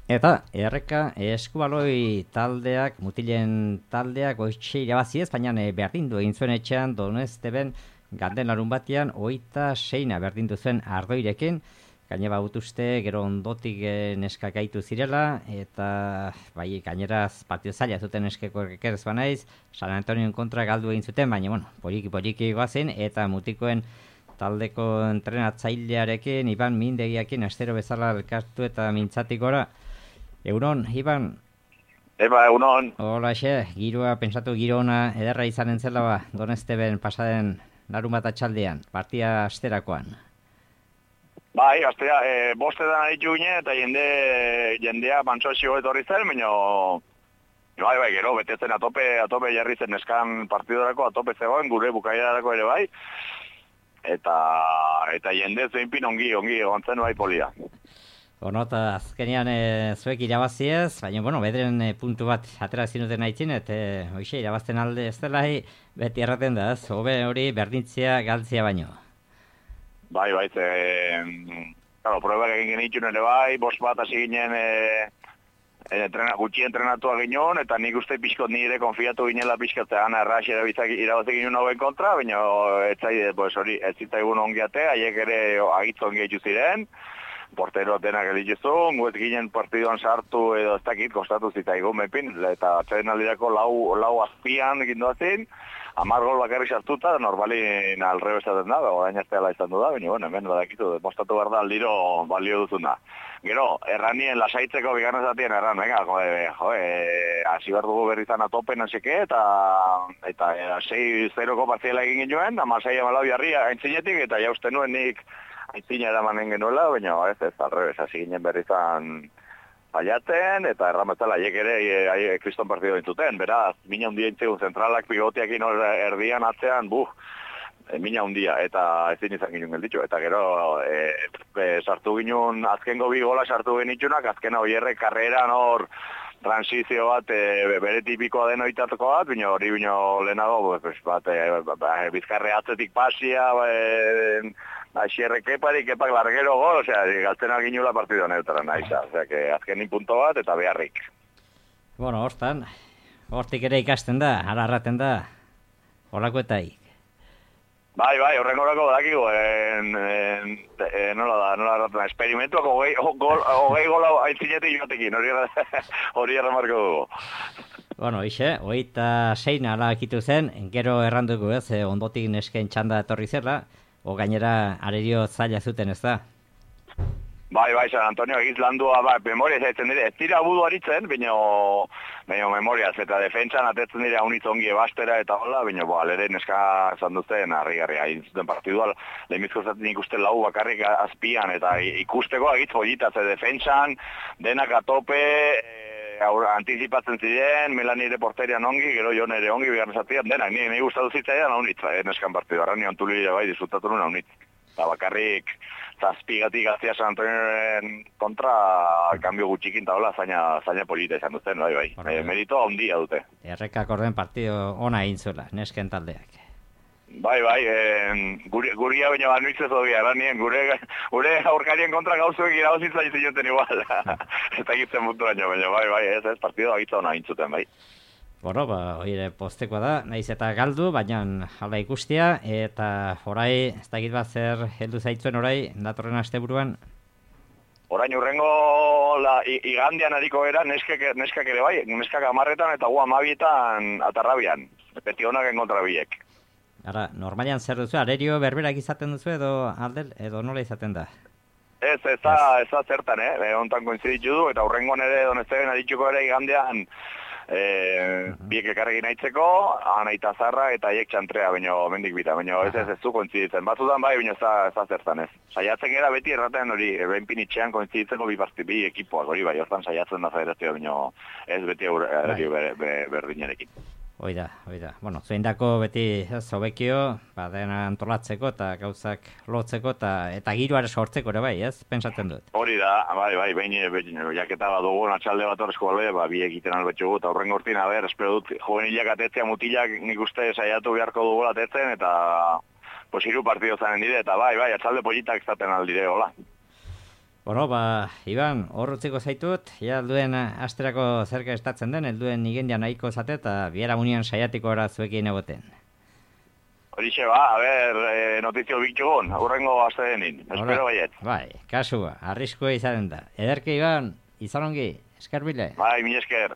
Eta erreka eskubaloi taldeak, mutilen taldeak goitxe irabazi ez, baina berdindu egin zuen etxean Donesteben ganden larun batean 26 berdindu zuen Ardoirekin. Gainera utuzte gero ondotik neskak gaitu zirela, eta bai gaineraz partio zaila zuten neskeko errekerez banaiz, San Antonioen kontra galdu egin zuten, baina bueno, poliki goazen, eta mutikoen taldeko entrenatzailearekin, Iban Mindegiakin, astero bezala elkartu eta mintzatik gora. Euron, Iban? Egunon. Holaxe, giroa, pensatu giro ona ederra izanen zela ba, Donesteben pasaden larun bat atxaldean, partia asterakoan. Bai, astea, bostetan aritu gine, eta jendea mantsoazio etorri zen, baina bai, gero, betetzen atope jarri zen neskan partidorako, atope zegoen, gure bukaierarako ere bai, eta jende zeinpin ongi, ontzen bai polia. Bueno, eta azkenean zuek irabaziez, baina, bueno, bedren puntu bat atera zinuten haitzin, eta hoxe, irabazten alde ez dela, beti erraten da, hobe hori berdintzia galtzia baino. Bai, claro, pruebak egin genitxun ere bai, bost bat hasi ginen gutxi entrenatua ginen, eta nik uste pixkot nire konfiatu ginela pixkatzean errax irabazik ginen hauen kontra, baina ez zitzaigun ongiate, haiek ere agitzu ongi etxu ziren, portero denak elituzun, guet ginen partiduan sartu edo ez dakit kostatu zitzaigun mepin, eta atxaden aldirako lau azpian egin doazin, 10 gol bakarri sartuta, normalin alrebe esaten da, orain azteala izan du da, baina bueno, hemen badakitu, demostatu behar da aldiro balio duzuna. Gero, erranien lasaitzeko bigarren zatien erran, venga, hasi behar dugu berri zan atopen haseke, eta 6-0ko partziela egin genuen, 16-14 jarri aintzinetik, eta jausten nuen nik aintzina eramanen genuela, baina ez, alrebes, hasi ginen berri zan faiatzen, eta erramatzela haiek ere kriston partido dintzuten, beraz, mina hundia intzegun zentralak pivoteakin erdian atzean, mina hundia, eta ezin izan ginen gelditxo, eta gero sartu ginen, azkengo bi gola sartu genitxunak, azkena oierre karreran hor transizio bat, bere tipikoa den oitatoko bat, bino hori lehenago, bizkarre atzetik pasia, xierre kepak largero gol, galtzen alginula partido neutara nahiza, azkenin punto bat eta beharrik. Bueno, hortik ere ikasten da, alarraten da, holakoetaik. Bai, horrengorako dakigu, nola erraten, esperimentuak hogei gola aintzinetik joatekin, hori erremarko dugu. Bueno, 26 alakitu zen, gero erranduko ez, ondotik nesken txanda etorri zela, o gainera arerio zaila zuten ez da? Bai, San Antonio egiz landua, memoria zaitzen dire, ez dira budu aritzen, baina memoria, eta defentsan atetzen dira unitz ongi ebastera eta hola, baina alere neska esan duzten, harri hain zuten partidua, lehemizko zaten ikusten lau bakarrik azpian, eta ikusteko agitz politaz, defentsan, denak atope, antizipatzen ziren, Melani porterian ongi, gero Jon ere ongi, bigarren zatian, denak, nire gustatu zitzaidan haunitz, neskan partidua, arrani antuli bai, disfrutatu nuen haunitz. Eta bakarrik zazpigatik gaztia San Antonioen kontra kambio gutxikin eta hola zaina polita izan duten, bai. Meritoa ondia dute. Errekak orden partio ona egin zuela, nesken taldeak. Bai, guria baina banuitzez hori, aranien, gure aurkarien kontra gauzuek irabazitza izinoten igual. Eta egitzen mutu baino, baina bai, ez, partido agitza ona egin zuten, bai. Bueno, oire postekoa da, nahiz eta galdu, baina hala ikustia, eta orai, ez dakit bat zer heldu zaitzuen orai, datorren asteburuan? Orain urrengo igandean ariko era, neskak ere bai, neskak 10etan eta 12etan atarrabian, beti honak enkontra biek. Ara, normalian zer duzu, arerio berberak izaten duzu edo nola izaten da? Ez da zertan, ontan koinziditu du, eta urrengoan ere Donesteben adituko ere igandean, biek ekarregin aitzeko, anaita zarra eta hiek txantrea, baino mendik bita, baino ez du kointziditzen. Batzutan bai, baino ez da zertan ez. Saiatzen gara beti erraten hori, benpin itxean kointziditzeko bi ekipoak, hori bai, hortan saiatzen da federazioa, baino ez beti berdinarekin. Oida. Bueno, zuindako beti zobekio, dena antolatzeko eta gauzak lotzeko eta giroare sortzeko ere bai, ez? Pentsatzen dut. Hori da, bai, behin jaketa bat dugu atxalde bat horrezko balde, bi egiten albetxugu, eta horren gortin, espero dut, juvenilak atetzea, mutilak nik uste saiatu beharko dugu atetzen, eta hiru partido zanen dire, eta bai, atxalde politak izaten aldire, hola. Bueno, Iban, hor utziko zaitut, duen asterako zerka estatzen den, helduen igendia nahiko zate eta biera unian saiatiko ara zuekin egoten. Horixe notizio bitxugun, urrengo aste denin, espero baiet. Bai, kasua, arriskua izanen da. Ederke Iban, izan ongi, eskarbile. Bai, mi esker.